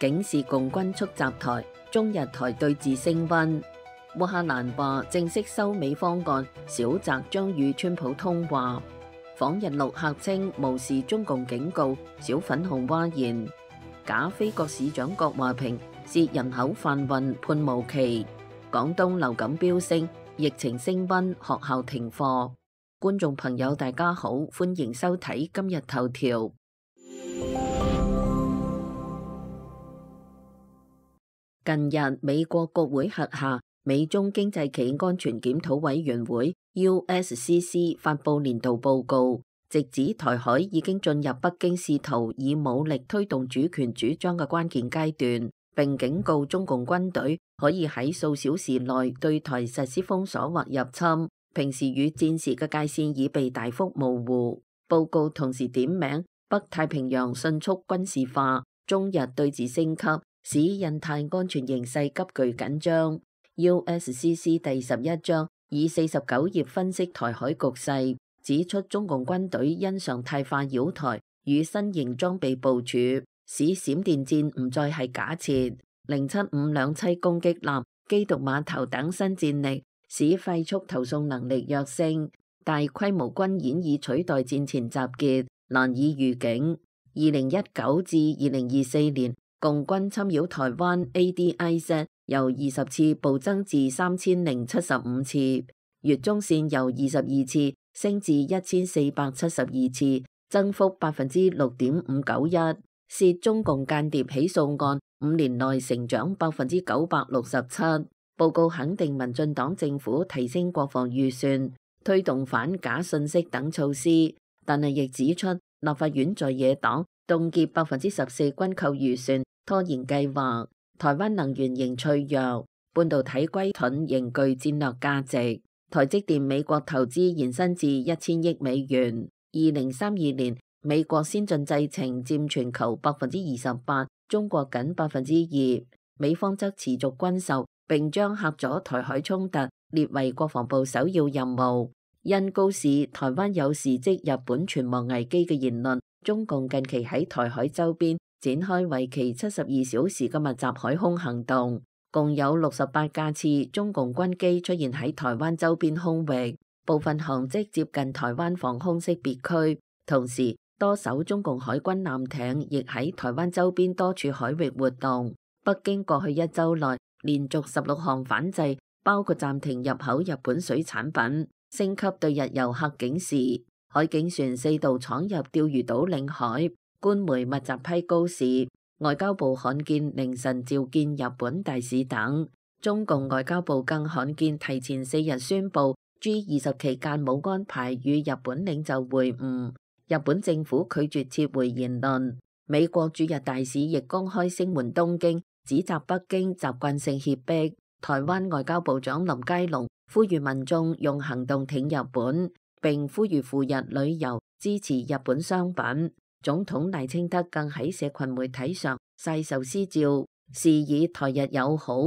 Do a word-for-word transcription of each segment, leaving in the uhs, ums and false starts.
警示共軍速襲台，中日台對峙升溫。烏克蘭話正式收尾方案，小澤將與川普通話。訪日陸客稱無視中共警告，小粉紅嘩然。假非國市長郭華平涉人口販運判無期。廣東流感飆升，疫情升溫，學校停課。觀眾朋友大家好，歡迎收睇今日頭條。近日，美國國會轄下美中經濟企業安全檢討委員會 U S C C 發布年度報告，直指台海已經進入北京試圖以武力推動主權主張嘅關鍵階段，並警告中共軍隊可以喺數小時內對台實施封鎖或入侵。平時與戰時嘅界線已被大幅模糊。報告同時點名北太平洋迅速軍事化，中日對峙升級，使印太安全形勢急劇緊張。U S C C 第十一章以四十九頁分析台海局勢，指出中共軍隊因常態化擾台與新型裝備部署，使閃電戰唔再係假設。零七五兩棲攻擊艦、機動碼頭等新戰力，使快速投送能力躍升，大規模軍演以取代戰前集結，難以預警。二零一九至二零二四年，共軍侵擾台灣 A D I Z 由二十次暴增至三千零七十五次，越中線由二十二次升至一千四百七十二次，增幅百分之六點五九一。涉中共間諜起訴案五年內成長百分之九百六十七。報告肯定民進黨政府提升國防預算、推動反假信息等措施，但係亦指出立法院在野黨凍結百分之十四軍購預算，拖延計劃。台灣能源仍脆弱，半導體龜盾仍具戰略價值。台積電美國投資延伸至一千億美元。二零三二年，美國先進製程佔全球百分之二十八，中國僅百分之二。美方則持續軍售，並將嚇阻台海衝突列為國防部首要任務。因高視台灣有事即日本存亡危機嘅言論，中共近期喺台海周邊展開為期七十二小時嘅密集海空行動，共有六十八架次中共軍機出現喺台灣周邊空域，部分航跡接近台灣防空識別區。同時，多艘中共海軍艦艇亦喺台灣周邊多處海域活動。北京過去一周內連續十六項反制，包括暫停入口日本水產品、升級對日遊客警示、海警船四度闖入釣魚島領海、官媒密集批高市、外交部罕見凌晨召見日本大使等。中共外交部更罕見提前四日宣布 G 二十期間冇安排與日本領袖會晤，日本政府拒絕撤回言論。美國駐日大使亦公開聲援東京，指責北京習慣性脅迫。台灣外交部長林佳龍呼籲民眾用行動挺日本，並呼籲赴日旅遊支持日本商品。總統賴清德更喺社群媒體上晒壽司照，示以台日友好。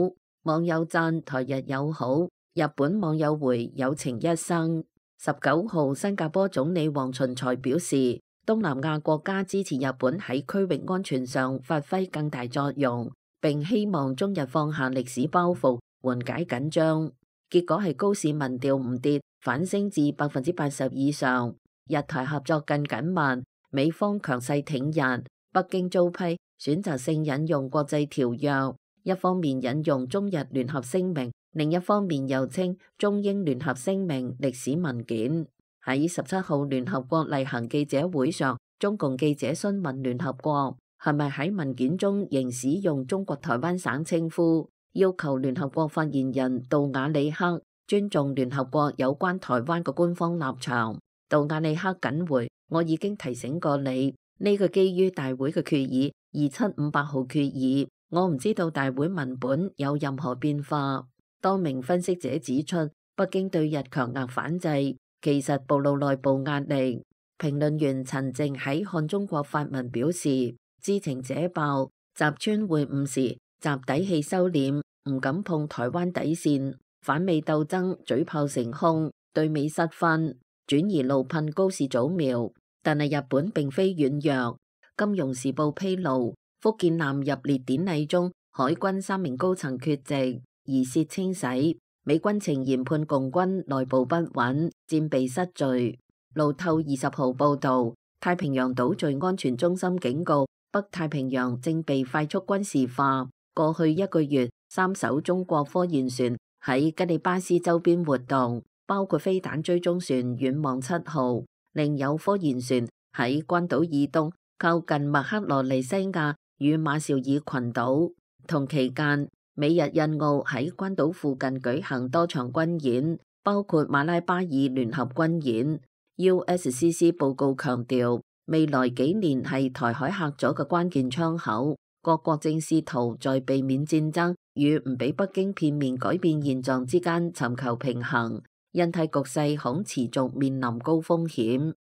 網友讚台日友好，日本網友回友情一生。十九號，新加坡總理黃循財表示，東南亞國家支持日本喺區域安全上發揮更大作用，並希望中日放下歷史包袱，緩解緊張。結果係高市民調唔跌，反升至百分之八十以上。日台合作更緊密，美方強勢挺日，北京遭批選擇性引用國際條約，一方面引用中日聯合聲明，另一方面又稱中英聯合聲明歷史文件。喺十七號聯合國例行記者會上，中共記者詢問聯合國係咪喺文件中仍使用中國台灣省稱呼，要求聯合國發言人杜瓦里克尊重聯合國有關台灣嘅官方立場。杜瓦里克緊回：我已經提醒過你，呢個基於大會嘅決議二七五八號決議，我唔知道大會文本有任何變化。多名分析者指出，北京對日強硬反制，其實暴露內部壓力。評論員陳靜喺看中國發文表示，知情者爆，習川會晤時，習底氣收斂，唔敢碰台灣底線，反美鬥爭嘴炮成空，對美失分，轉移怒噴高市早苗。但係日本並非軟弱。金融時報披露，福建艦入列典禮中，海軍三名高層缺席，疑涉清洗。美軍呈研判共軍內部不穩，戰備失序。路透二十號報導，太平洋島嶼安全中心警告，北太平洋正被快速軍事化。過去一個月，三艘中國科研船喺吉里巴斯周邊活動，包括飛彈追蹤船遠望七號，另有科研船喺關島以東靠近麥克羅尼西亞與馬紹爾群島。同期間，美日印澳喺關島附近舉行多場軍演，包括馬拉巴爾聯合軍演。U S C C 報告強調，未來幾年係台海嚇阻嘅關鍵窗口，各國正試圖在避免戰爭與唔俾北京片面改變現狀之間尋求平衡。印太局勢恐持續面臨高風險。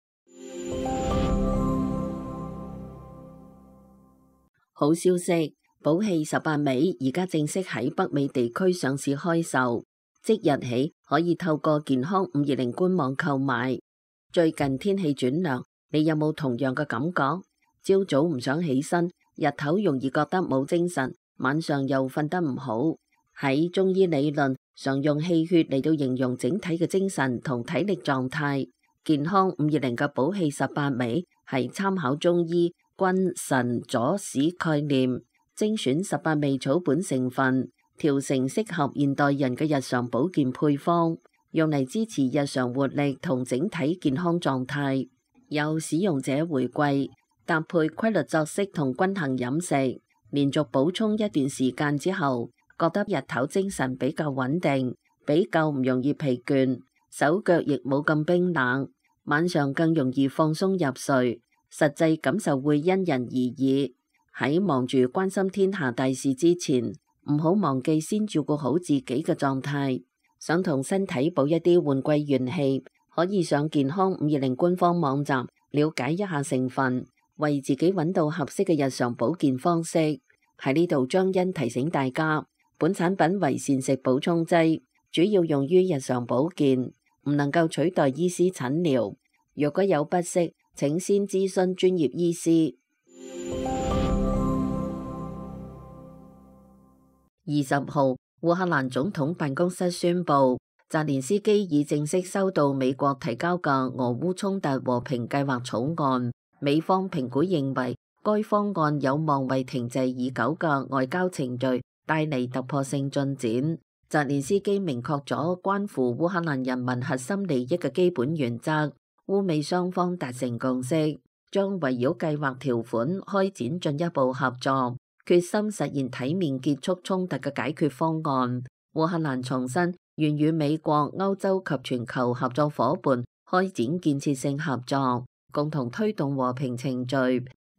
好消息！寶氣十八尾而家正式喺北美地區上市開售，即日起可以透過健康五二零官網購買。最近天氣轉涼，你有冇同樣嘅感覺？朝早唔想起身，日頭容易覺得冇精神，晚上又瞓得唔好。喺中醫理論，常用氣血嚟到形容整體嘅精神同體力狀態。健康五二零嘅寶氣十八尾係參考中醫君臣佐使概念，精選十八味草本成分，調成適合現代人嘅日常保健配方，用嚟支持日常活力同整體健康狀態。有使用者回饋，搭配規律作息同均衡飲食，連續補充一段時間之後，覺得日頭精神比較穩定，比較唔容易疲倦，手腳亦冇咁冰冷，晚上更容易放鬆入睡。實際感受會因人而異。喺忙住關心天下大事之前，唔好忘記先照顧好自己嘅狀態。想同身體補一啲換季元氣，可以上健康五二零官方網站了解一下成分，為自己揾到合適嘅日常保健方式。喺呢度張欣提醒大家，本產品為膳食補充劑，主要用於日常保健，唔能夠取代醫師診療。若果有不適，請先諮詢專業醫師。二十號，烏克蘭總統辦公室宣布，澤連斯基已正式收到美國提交嘅俄烏衝突和平計劃草案。美方評估認為，該方案有望為停滯已久嘅外交程序帶嚟突破性進展。澤連斯基明確咗關乎烏克蘭人民核心利益嘅基本原則，烏美雙方達成共識，將圍繞計劃條款開展進一步合作，決心實現體面結束衝突嘅解決方案。烏克蘭重申願與美國、歐洲及全球合作夥伴開展建設性合作，共同推動和平程序。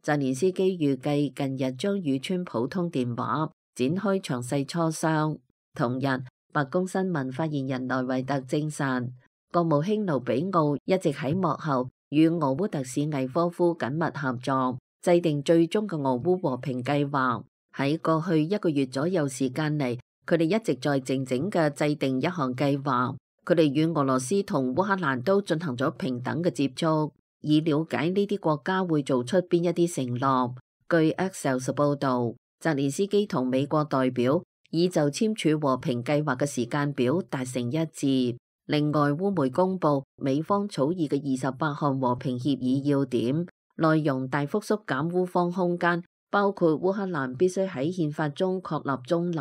澤連斯基預計近日將與川普通電話，展開詳細磋商。同日，白宮新聞發言人萊維特證實，國務卿盧比奧一直喺幕後與俄烏特使魏科夫緊密合作，制定最終嘅俄烏和平計劃。喺過去一個月左右時間嚟，佢哋一直在靜靜嘅制定一項計劃。佢哋與俄羅斯同烏克蘭都進行咗平等嘅接觸，以了解呢啲國家會做出邊一啲承諾。據 Axios 報導，澤連斯基同美國代表已就簽署和平計劃嘅時間表達成一致。另外，烏媒公佈美方草擬嘅二十八項和平協議要點，內容大幅縮減烏方空間，包括烏克蘭必須喺憲法中確立中立，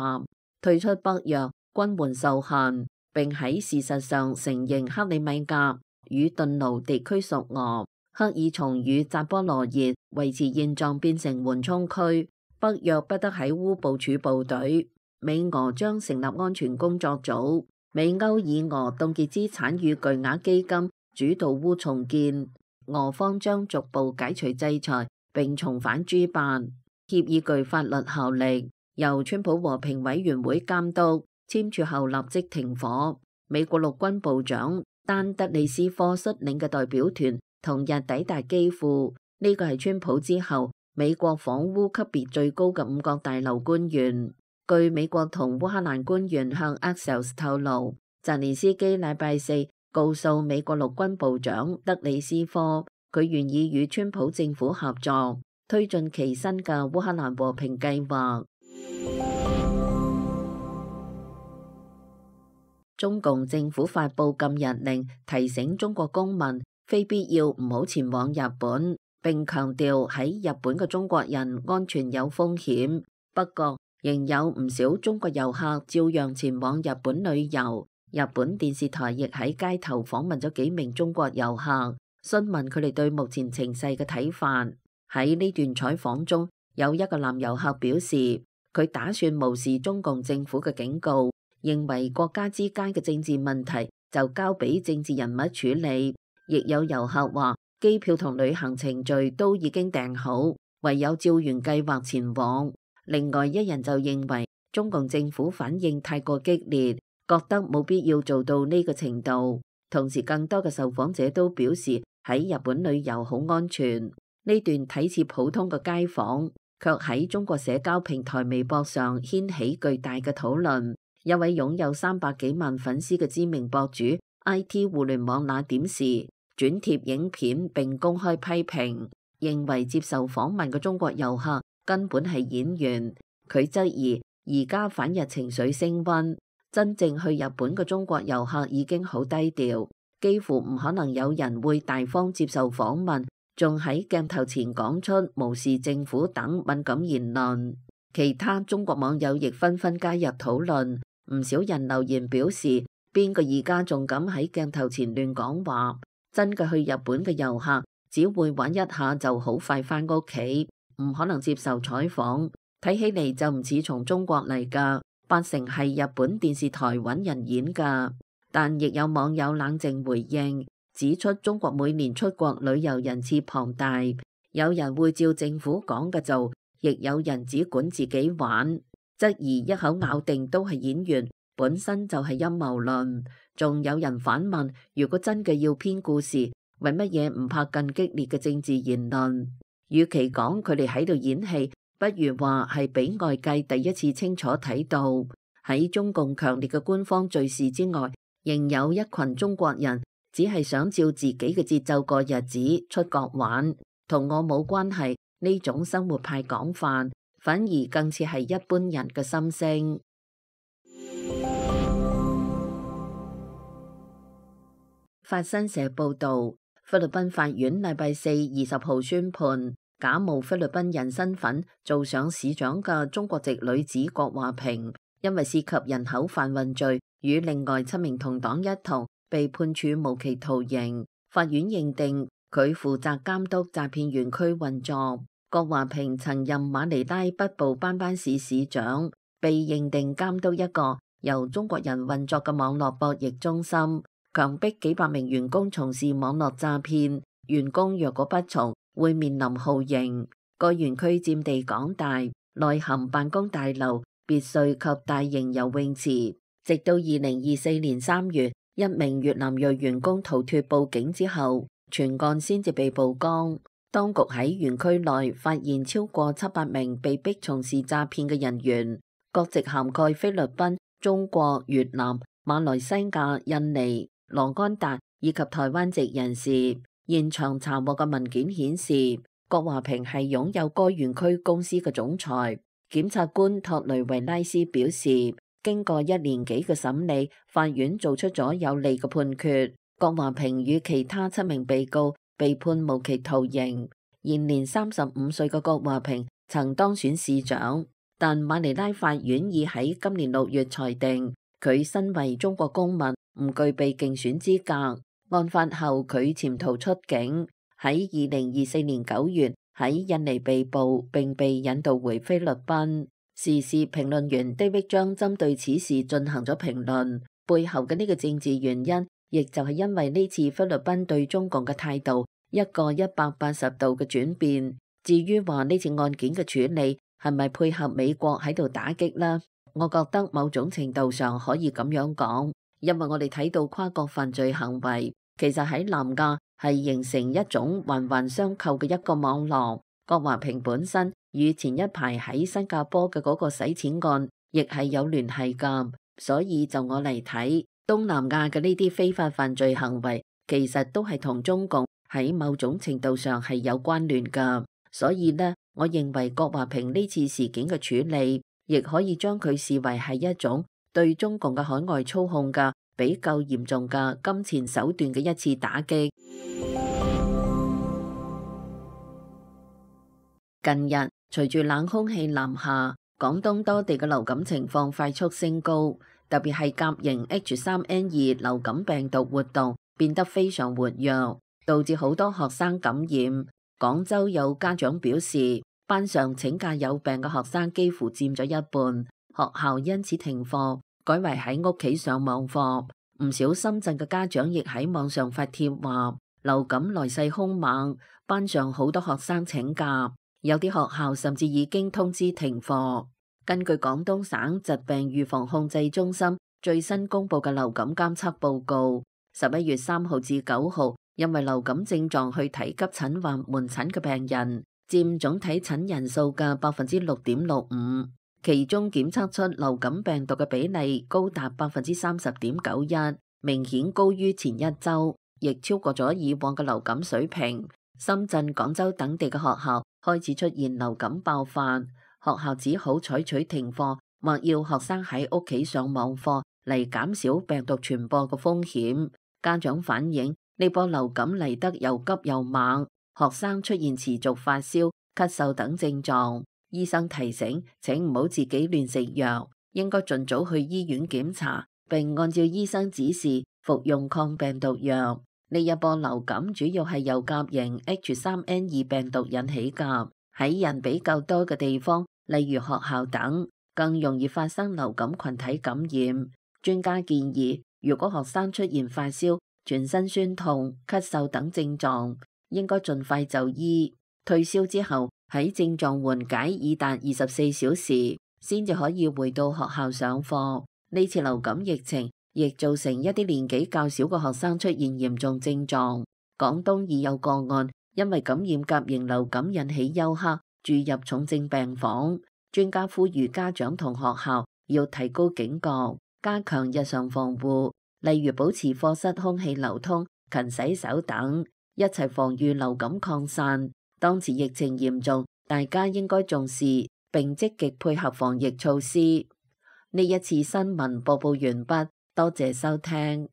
退出北約，軍援受限，並喺事實上承認克里米亞與頓盧地區屬俄，克爾松與扎波羅熱維持現狀變成緩衝區，北約不得喺烏部署部隊，美俄將成立安全工作組。美歐以俄凍結資產與巨額基金主導烏重建，俄方將逐步解除制裁並重返主辦。協議具法律效力，由川普和平委員會監督，簽署後立即停火。美國陸軍部長丹德里斯科率領嘅代表團同日抵達基輔，呢個係川普之後美國訪烏級別最高嘅五角大樓官員。據美國同烏克蘭官員向 Axios 透露，澤連斯基禮拜四告訴美國陸軍部長德里斯科，佢願意與川普政府合作，推進其新嘅烏克蘭和平計劃。中共政府發布禁日令，提醒中國公民非必要唔好前往日本，並強調喺日本嘅中國人安全有風險。不過，仍有唔少中國遊客照樣前往日本旅遊。日本電視台亦喺街頭訪問咗幾名中國遊客，詢問佢哋對目前情勢嘅睇法。喺呢段採訪中，有一個男遊客表示，佢打算無視中共政府嘅警告，認為國家之間嘅政治問題就交俾政治人物處理。亦有遊客話，機票同旅行程序都已經訂好，唯有照原計劃前往。另外一人就認為中共政府反應太過激烈，覺得冇必要做到呢個程度。同時，更多嘅受訪者都表示喺日本旅遊好安全。呢段睇似普通嘅街訪，卻喺中國社交平台微博上掀起巨大嘅討論。一位擁有三百幾萬粉絲嘅知名博主 I T 互聯網那點時轉貼影片並公開批評，認為接受訪問嘅中國遊客根本係演員。佢質疑而家反日情緒升溫，真正去日本嘅中國遊客已經好低調，幾乎唔可能有人會大方接受訪問，仲喺鏡頭前講出無視政府等敏感言論。其他中國網友亦紛紛加入討論，唔少人留言表示，邊個而家仲敢喺鏡頭前亂講話？真嘅去日本嘅遊客只會玩一下就好快返屋企，唔可能接受採訪。睇起嚟就唔似從中國嚟㗎，八成係日本電視台揾人演㗎。但亦有網友冷靜回應，指出中國每年出國旅遊人次龐大，有人會照政府講嘅做，亦有人只管自己玩，質疑一口咬定都係演員，本身就係陰謀論。仲有人反問，如果真嘅要編故事，為乜嘢唔拍更激烈嘅政治言論？與其講佢哋喺度演戲，不如話係俾外界第一次清楚睇到，喺中共強烈嘅官方敘事之外，仍有一群中國人只係想照自己嘅節奏過日子，出國玩，同我冇關係。呢種生活派講法，反而更似係一般人嘅心聲。法新社報導，菲律賓法院禮拜四二十號宣判，假冒菲律賓人身份做上市長嘅中國籍女子郭華萍，因為涉及人口販運罪，與另外七名同黨一同被判處無期徒刑。法院認定佢負責監督詐騙園區運作。郭華萍曾任馬尼拉北部班班市市長，被認定監督一個由中國人運作嘅網絡博弈中心，強迫幾百名員工從事網絡詐騙。員工若果不從，會面臨酷刑。個園區佔地廣大，內含辦公大樓、別墅及大型游泳池。直到二零二四年三月，一名越南裔員工逃脫報警之後，全案先至被曝光。當局喺園區內發現超過七百名被逼從事詐騙嘅人員，國籍涵蓋菲律賓、中國、越南、馬來西亞、印尼、羅安達以及台灣籍人士。現場查獲嘅文件顯示，郭華萍係擁有該園區公司嘅總裁。檢察官托雷維拉斯表示，經過一年幾嘅審理，法院做出咗有利嘅判決。郭華萍與其他七名被告被判無期徒刑。現年三十五歲嘅郭華萍曾當選市長，但馬尼拉法院已喺今年六月裁定佢身為中國公民唔具備競選資格。案發後佢潛逃出境，喺二零二四年九月喺印尼被捕，並被引渡回菲律賓。時事評論員 David 張針對此事進行咗評論，背後嘅呢個政治原因，亦就係因為呢次菲律賓對中共嘅態度一個一百八十度嘅轉變。至於話呢次案件嘅處理係咪配合美國喺度打擊呢？我覺得某種程度上可以咁樣講，因為我哋睇到跨國犯罪行為其實喺南亞係形成一種環環相扣嘅一個網絡。郭華萍本身與前一排喺新加坡嘅嗰個洗錢案亦係有聯繫㗎，所以就我嚟睇，東南亞嘅呢啲非法犯罪行為其實都係同中共喺某種程度上係有關聯㗎。所以呢，我認為郭華平呢次事件嘅處理，亦可以將佢視為係一種對中共嘅海外操控嘅比較嚴重嘅金錢手段嘅一次打擊。近日，隨住冷空氣南下，廣東多地嘅流感情況快速升高，特別係甲型 H 三 N 二 流感病毒活動變得非常活躍，導致好多學生感染。廣州有家長表示，班上請假有病嘅學生幾乎佔咗一半，學校因此停課，改為喺屋企上網課。唔少深圳嘅家長亦喺網上發帖話，流感來勢兇猛，班上好多學生請假，有啲學校甚至已經通知停課。根據廣東省疾病預防控制中心最新公布嘅流感監測報告，十一月三號至九號，因為流感症狀去睇急診或門診嘅病人，佔總體診人數嘅百分之六點六五，其中檢測出流感病毒嘅比例高達百分之三十點九一，明顯高於前一周，亦超過咗以往嘅流感水平。深圳、廣州等地嘅學校開始出現流感爆發，學校只好採取停課或要學生喺屋企上網課嚟減少病毒傳播嘅風險。家長反映，呢波流感嚟得又急又猛，學生出現持續發燒、咳嗽等症狀。醫生提醒，請唔好自己亂食藥，應該盡早去醫院檢查，並按照醫生指示服用抗病毒藥。呢一波流感主要係由甲型 H 三 N 二 病毒引起㗎，喺人比較多嘅地方，例如學校等，更容易發生流感群體感染。專家建議，如果學生出現發燒、全身酸痛、咳嗽等症狀，應該盡快就醫。退燒之後，喺症狀緩解已達二十四小時，先至可以回到學校上課。呢次流感疫情亦造成一啲年紀較小嘅學生出現嚴重症狀。廣東已有個案因為感染甲型流感引起休克，住入重症病房。專家呼籲家長同學校要提高警覺，加強日常防護，例如保持課室空氣流通、勤洗手等，一齊防禦流感擴散。當前疫情嚴重，大家應該重視並積極配合防疫措施。呢一次新聞播報完畢，多謝收聽。